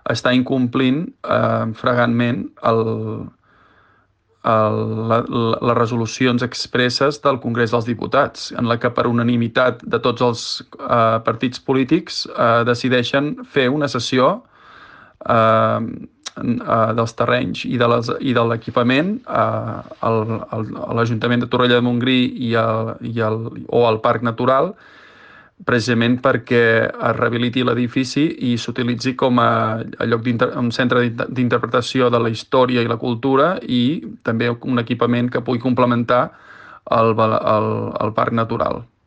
està incomplint flagrantment les resolucions expresses del Congrés dels Diputats, en la que per unanimitat de tots els partits polítics decideixen fer una sessió dels terrenys i de l'equipament a l'Ajuntament de Torroella de Montgrí o al Parc Natural, precisament perquè es rehabiliti l'edifici i s'utilitzi com a un centre d'interpretació de la història i la cultura, i també un equipament que pugui complementar el Parc Natural.